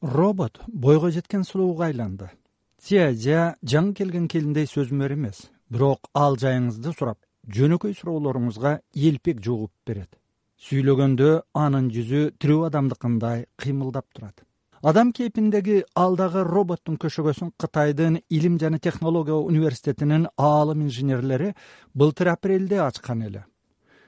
Робот бойго жеткен сулууга айланды. Цзя жаңы келген келиндей сөзмөр эмес, бирок ал жайыңызды сурап, жөнөкөй суроолоруңузга элпек жугуп берет. Сүйлөгөндө анын жүзү тирүү адамдыкындай кыймылдап турат. Адам кейпиндеги алдагы роботтун көшөгөсүн Кытайдын Илим жана технология университетинин аалым инженерлери былтыр апрелде ачкан эле.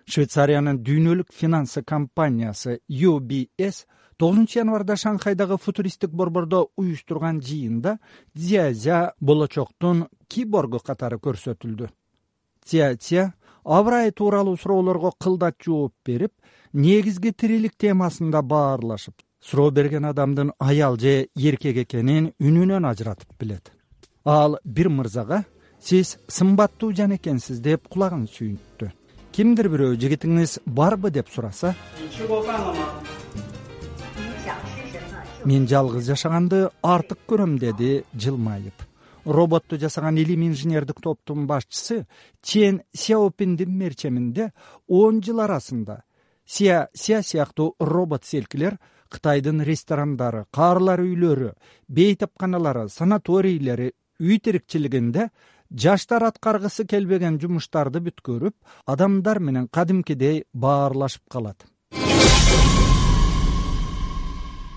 Швейцариянын дүйнөлүк финансы компаниясы UBS 9 январда Шанхайдагы футуристик борбордо уюштурган жыйында Цзя болочоктун киборгу катары көрсөтүлдү. Цзя абрай тууралуу суроолорго кылдат жооп берип, негизги тирилик темасында баарлашып, суроо берген адамдын аял же эркек экенин үнүнөн ажыратып билет. Ал бир мырзага «Сиз сымбаттуу жан экенсиз» деп кулагын сүйүнттү. Кимдир бирөө жигитиңиз барбы деп сураса, «Мен жалгыз жашаганды артык көрөм» деди жылмайып. Роботту жасаган илим инженердик топтун башчысы Чен Сяопиндин мерчеминде 10 жыл арасында Ся сыяктуу робот селкилер Кытайдын ресторандары, каарлар үйлөрү, бейтапканалары, санаторийлери, үй тирикчилигинде жаштар аткаргысы келбеген жумуштарды бүткөрүп, адамдар менен кадимкидей баарлашып калат.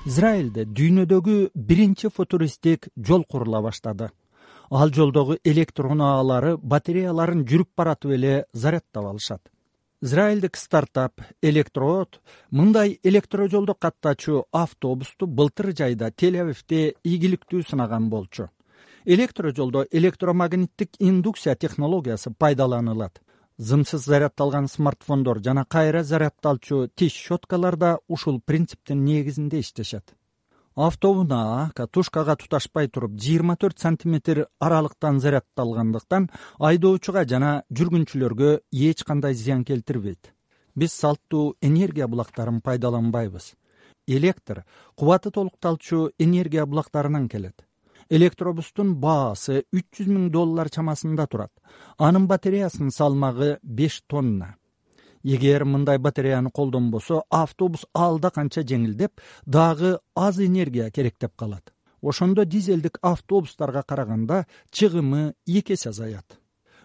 Израилде дүйнөдөгү биринчи футуристик жол курула баштады. Ал жолдогу электр унаалары батареяларын жүрүп баратып эле зарядтап алышат. Израилдик стартап Электрод мындай электрожолдо каттачу автобусту былтыр жайда Тель-Авивде ийгиликтүү сынаган болчу. Электрожолдо электромагниттик индукция технологиясы пайдаланылат. Зымсыз зарядталган смартфондор жана кайра зарядталчу тиш щеткалар да ушул принциптин негизинде иштешет. Автоунаа катушкага туташпай туруп 24 сантиметр аралыктан зарядталгандыктан айдоочуга жана жүргүнчүлөргө эч кандай зыян келтирбейт. Биз салттуу энергия булактарын пайдаланбайбыз. Электр кубаты толукталчу энергия булактарынан келет. Электробустун баасы $300,000 чамасында турат. Анын батареясынын салмагы 5 тонна. Эгер мындай батареяны колдонбосо, автобус алда канча жеңилдеп, дагы аз энергия керектеп калат. Ошондо дизелдик автобустарга караганда чыгымы 2 эсе азаят.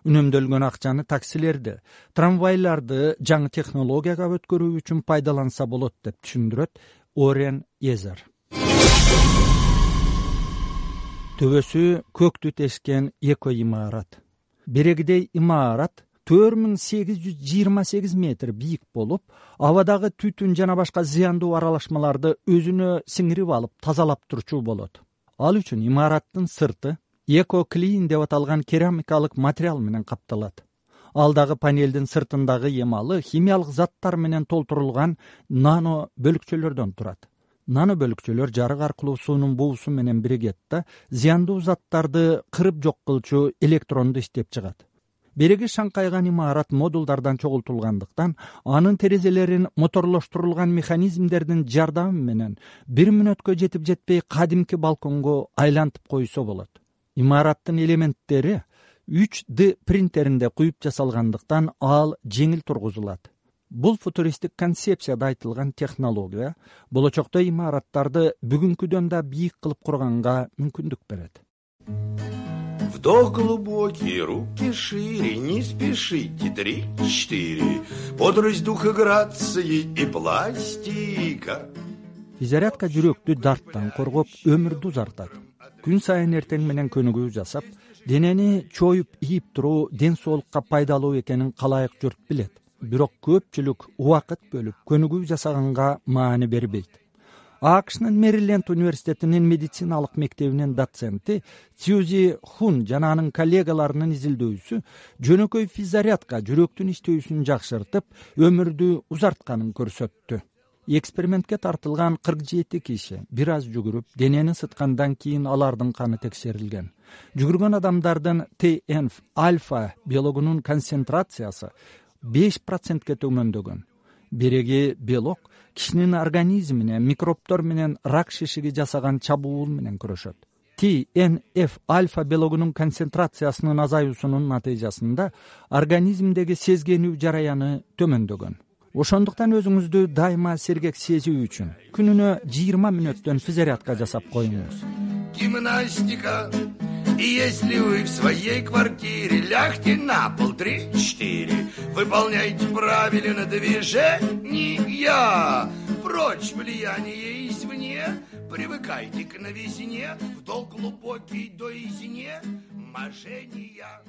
Үнөмдөлгөн акчаны таксилерди, трамвайларды жаңы технологияга өткөрүү үчүн пайдаланса болот деп түшүндүрөт Орен Езер. Төбөсү көктү тешкен эко имарат. Берегидей имарат 4828 метр бийик болуп, абадагы түтүн жана башка зыяндуу аралашмаларды өзүнө сиңирип алып, тазалап турчу болот. Ал үчүн имараттын сырты эко-клин деп аталган керамикалык материал менен капталат. Алдагы панелдин сыртындагы эмалы химиялык заттар менен толтурулган нано бөлүкчөлөрдөн турат. Нано бөлүкчөлөр жарык аркылуу суунун буусу менен биригет да зыяндуу заттарды кырып жок кылчу электронду иштеп чыгат. Береги шаңкайган имарат модулдардан чогултулгандыктан, анын терезелерин моторлоштурулган механизмдердин жардамы менен 1 мүнөткө жетип жетпей кадимки балконго айлантып койсо болот. Имараттын элементтери 3D принтеринде куюп жасалгандыктан ал жеңил тургузулат. Бул футуристик концепцияда айтылган технология болочокто имараттарды бүгүнкүдөн да бийик кылып курганга мүмкүндүк берет. Вдох глубокий, руки шире, не спешите, 3-4, бодрость духа, грации и пластика. Физзарядка жүрөктү дарттан коргоп, өмүрдү узартат. Күн сайын эртең менен көнүгүү жасап, денени чоюп ийип туруу ден соолукка пайдалуу экенин калайык журт билет. Бирок көпчүлүк убакыт бөлүп көнүгүү жасаганга маани бербейт. АКШнын Мэриленд университетинин медициналык мектебинин доценти Сьюзи Хун жана анын коллегаларынын изилдөөсү жөнөкөй физзарядка жүрөктүн иштөөсүн жакшыртып, өмүрдү узартканын көрсөттү. Экспериментке тартылган 47 киши бир аз жүгүрүп, денени ысыткандан кийин алардын каны текшерилген. Жүгүргөн адамдардын TNF-альфа белогунун концентрациясы 5%ке төмөндөгөн. Береги белок кишинин организмине микробтор менен рак шишиги жасаган чабуул менен күрөшөт. TNF-альфа белогунун концентрациясынын азаюусунун натыйжасында организмдеги сезгенүү жараяны төмөндөгөн. Ошондуктан өзүңүздү дайыма сергек сезүү үчүн күнүнө 20 мүнөттөн физарядка жасап коюңуз. Гимнастика. И если вы в своей квартире, лягте на пол 3-4, выполняйте правильно движения. Прочь влияние извне, привыкайте к новизне, вдох глубокий до изне, мошенния.